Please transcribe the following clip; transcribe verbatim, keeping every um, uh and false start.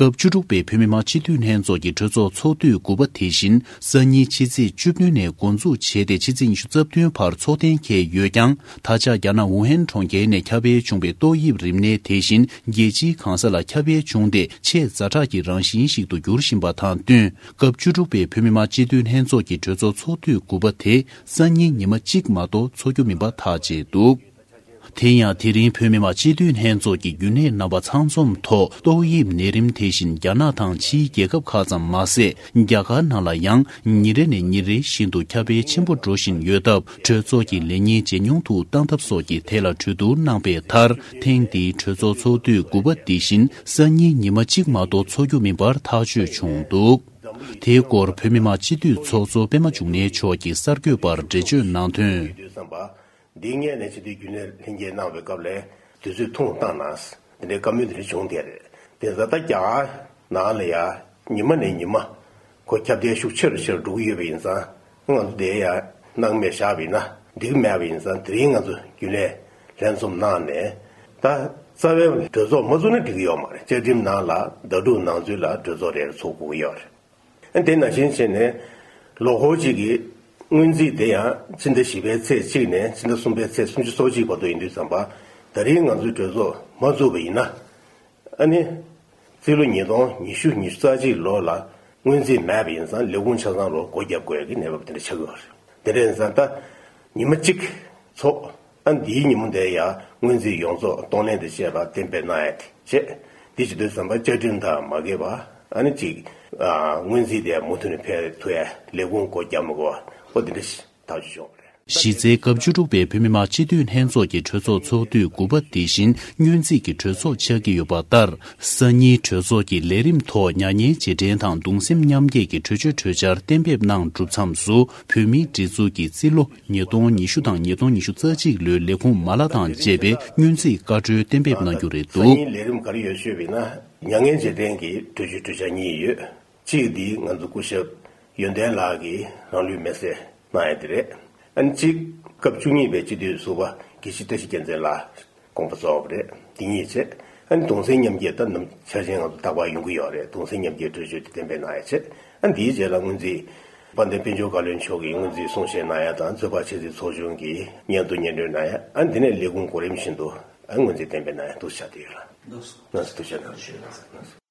སྐབས་བཅུ་དྲུག་པའི་བོད་མི་མང་སྤྱི་འཐུས་ལྷན་ཚོགས་ཀྱི་གྲོས་ཚོགས་ཚོགས་དུས་དགུ་པ་དེ་བཞིན་སང་ཉིན་ཕྱི་ཚེས་བཅུ་བདུན་ནས་འགོ་འཛུགས་བྱས་ཏེ་ཕྱི་ཚེས་ཉི་ཤུ་རྩ་བདུན་བར་ཚོགས་གཏན་འཁེལ་ཡོད་ཀྱང་། ད་ཆ་རྒྱ་ནག་ཝུ་ཧན་གྲོང་ཁྱེར་ནས་ཁྱབ་སྤེལ་བྱུང་བའི་ཏོག་དབྱིབས་རིམས་ནད་དེ་བཞིན་རྒྱལ་སྤྱིའི་གང་ས་ལ་ཁྱབ་སྤེལ་བྱུང་སྟེ་ཆེས་ཛ་དྲག་གི་རང་བཞིན་ཞིག་ཏུ་འགྱུར་བཞིན་པ་དང་བསྟུན། སྐབས་བཅུ་དྲུག་པའི་བོད་མི་མང་སྤྱི་འཐུས་ལྷན་ཚོགས་ཀྱི་གྲོས་ཚོགས་ཚོགས་དུས་དགུ་པ་དེ་སང་ཉིན་ཉི་མ་གཅིག་མ་གཏོགས་འཚོགས་རྒྱུ་མིན་པ་ཐག་བཅད་འདུག་དེ་ཡང་དེ་རིང་བོད་མི་མང་སྤྱི་འཐུས་ལྷན་ཚོགས་ཀྱི་རྒྱུན་ལས་རྣམ་པ་ཚང་འཛོམས་ཐོག་ཏོག་དབྱིབས་ནད་རིམས་དེ་བཞིན་རྒྱ་ནག་དང་ཕྱིའི་རྒྱལ་ཁབ་ཁག་ཙམ་མ་ཟད། རྒྱ་གར་ནང་ལ་ཡང་ཉིན་རེ་ནས་ཉིན་རེ་བཞིན་དུ་ཁྱབ་སྤེལ་ཆེན་པོ་འགྲོ་བཞིན་ཡོད་སྟབས། གྲོས་ཚོགས་ཀྱི་ལས་ཉིན་ཇེ་ཉུང་དུ་བཏང་ཐབས་སོགས་ཀྱི་ཐད་ལ་གྲོས་བསྡུར་གནང་པའི་མཐར། ཐེངས་འདིའི་གྲོས་ཚོགས་ཚོགས་དུས་དགུ་པ་འདི་བཞིན་སང་ཉིན་ཉི་མ་གཅིག་མ་གཏོགས་འཚོགས་རྒྱུ་མིན་པར་ཐག་གཅོད་བྱུང་འདུག་དེའི་སྐོར་བོད་མི་མང་སྤྱི་འཐུས་ཚོགས་གཙོ་པད་མ་འབྱུང་གནས་མཆོག་གིས་གསར་འགོད་པར་འགྲེལ་བརྗོད་གནང་དོན། འདིའི་སྔོན་ནས་སྤྱི་འཐུས་རྒྱུན་ལས་ལྷན་རྒྱས་གནང་བའི་སྐབས་ལ་དུས་ཚོད་ཐུང་བཏང་ན། དེ་འདྲའི་བཀའ་མོལ་དེ་འདྲ་བྱུང་བསྡད་རེད། དེ་ད་ལྟ་རྒྱ་གར་ནང་ལ་ཡ་ཉི་མ་ནས་ཉི་མ་ཁོ་ཁྱབ་གདལ་ཤུགས་ཆེ་རུ་ཆེ་རུ་འགྲོ་གི་ཡོད་པ་ཡིན་ཙང་། ང་ཚོ་དེ་ཡ་སྣང་མེད་བཞག་པ་ཡིན་ན་འགྲིག་མེད་པ་ཡིན་ཙང་། དེ་རིང་ང་ཚོ་རྒྱུན་ལས་ལྷན་འཛོམས་གནང་ནས། ད་རྩ་བའི་གྲོས་ཚོགས་མ་ཚུགས་ན་འགྲིག་གི་ཡོད་མ་རེད། བཅའ་ཁྲིམས་ནང་ལ་ཟླ་དྲུག་ནང་ཚུད་ལ་གྲོས་ཚོགས་རེ་རེ་ཚོགས་དགོས་ཀྱི་ཡོད་རེད། དེ་ནང་བཞིན་བྱས་ནས་ལོ་འཁོར་གཅིག་གི་སྔོན་རྩིས་དེ་ཡང་ཕྱི་ཟླ་བཞི་པའི་ཚེས་གཅིག་ནས་ཕྱི་ཟླ་གསུམ་པའི་ཚེས་སུམ་ཅུ་སོ་གཅིག་བར་དུ་ཡིན་དུས་ཙམ་པ། ད་རིང་ང་ཚོའི་གྲོས་ཚོགས་མ་བཙུགས་པ་ཡིན་ན། ཨ་ནི་རྩིས་ལོ་ཉིས་སྟོང་ཉི་ཤུ་ཉི་ཤུ་རྩ་གཅིག་ལོ་ལ་སྔོན་རྩིས་མེད་པ་ཡིན་ཙང་། ལས་ཁུངས་ཆ་ཚང་ལོ་སྒོ་བརྒྱབ་དགོས་ཀྱི་གནས་བབ་དེ་འདྲ་ཆགས་ཀྱི་ཡོད་རེད། དེ་འདྲ་ཡིན་ཙང་ད་ཉི་མ་གཅིག་ཚོགས། ཨ་འདིའི་ཉིན་མོ་འདིར་ཡང་སྔོན་རྩིས་ཡོངས་རྫོགས་གཏོང་ལེན་དང་བཅས་པ་གཏན་འབེབས་གནང་ཡ་དེ་བྱས། འདི་བྱེད་དུས་ཙམ་པ་བཅའ་ཁྲིམས་དང་མ་འགལ་བ། ཨ་ནི་གཅིག་ཨ་སྔོན་རྩིས་དེ་མུ་མཐུད་ནས་འཕེལ་ཐུབ་ཡ། ལས་ཁུངས་སྒོ་བརྒྱབ་མི་དགོས་པ། ཨོ་དེ་འདྲ་ཞིག་ཐག་གཅོད་བྱུང་བ་རེད། གཞི་རྩའི་སྐབས་བཅུ་དྲུག་པའི་བོད་མི་མང་སྤྱི་འཐུས་ལྷན་ཚོགས་ཀྱི་གྲོས་ཚོགས་ཚོགས་དུས་དགུ་པ་དེ་བཞིན་སྔོན་རྩིས་ཀྱི་གྲོས་ཚོགས་ཆགས་ཀྱི་ཡོད་པ་ལྟར། སང་ཉིན་གྲོས་ཚོགས་ཀྱི་ལས་རིམ་ཐོག་མྱ་ངན་རྗེས་དྲན་དང་གདུང་སེམས་མཉམ་སྐྱེད་ཀྱི་གྲོས་ཆོད་གྲོས་འཆར་གཏན་འབེབས་གནང་གྲུབ་མཚམས་སུ། བོད་མིའི་སྒྲིག་འཛུགས་ཀྱི་རྩིས་ལོ་ཉིས་སྟོང་ཉི་ཤུ་དང་ཉིས་སྟོང་ཉི་ཤུ་རྩ་གཅིག་ལོའི་ལས་ཁུངས་མ་ལག་དང་བཅས་པའི་སྔོན་རྩིས་བཀའ་འཁྲོལ་གཏན་འབེབས་གནང་རྒྱུ་རེད་འདུག་སང་ཉིན་ལས་རིམ་ག་རེ་ཡོད་ཤོད་པ་ཡིན་ན། མྱ་ངན་རྗེས་དྲན་གྱི་གྲོས་ཆོད་གྲོས་འཆར་གཉིས་ཡོད། གཅིག་འདི་ང་ཚོ་སྐུ་ཞབས་ཡོན་ཏན་ལགས་ཀྱིས་རང་ལུས་མེར་སྲེག་གནང་ཡ་དེ་རེད། ཨ་ནི་གཅིག་སྐབས་བཅུ་གཉིས་པའི་སྤྱི་འཐུས་ཟུར་པ་དགེ་བཤེས་བཀྲ་ཤིས་རྒྱལ་མཚན་ལགས་དགོངས་པ་རྫོགས་པ་རེད། འདི་གཉིས་བྱས། ཨ་ནི་གདུང་སེམས་མཉམ་སྐྱེད་ད་ནམ་འཆར་ཅན་ང་ཚོ་རྟག་པར་ཡོང་གི་ཡོད་རེད། གདུང་སེམས་མཉམ་སྐྱེད་གྲོས་ཆོད་དེ་གཏན་འབེབས་གནང་ཡ་བྱས། ཨ་ནི་འདིའི་རྗེས་ལ་སྔོན་རྩིས་དཔལ་ལྡན་དཔལ་འབྱོར་བཀའ་བློན་མཆོག་གིས་སྔོན་རྩིས་གསུང་བཤད་གནང་ཡ་དང་། ཚོད་དཔག་ཆེད་རྩིས་ཚོགས་ཆུང་གིས་སྙན་ཐོ་སྙན་སྒྲོན་གནང་ཡ། ཨ་ནི་འདི་ནས་ལས་ཁུངས་གོ་རིམ་བཞིན་དུ་ཨ་ནི་སྔོན་རྩིས་གཏན་འབེབས་གནང་ཡ་འདུག་བྱ་དེ་ཡོད་ལ། ལགས་སོ། ཐུགས་རྗེ་གནང་།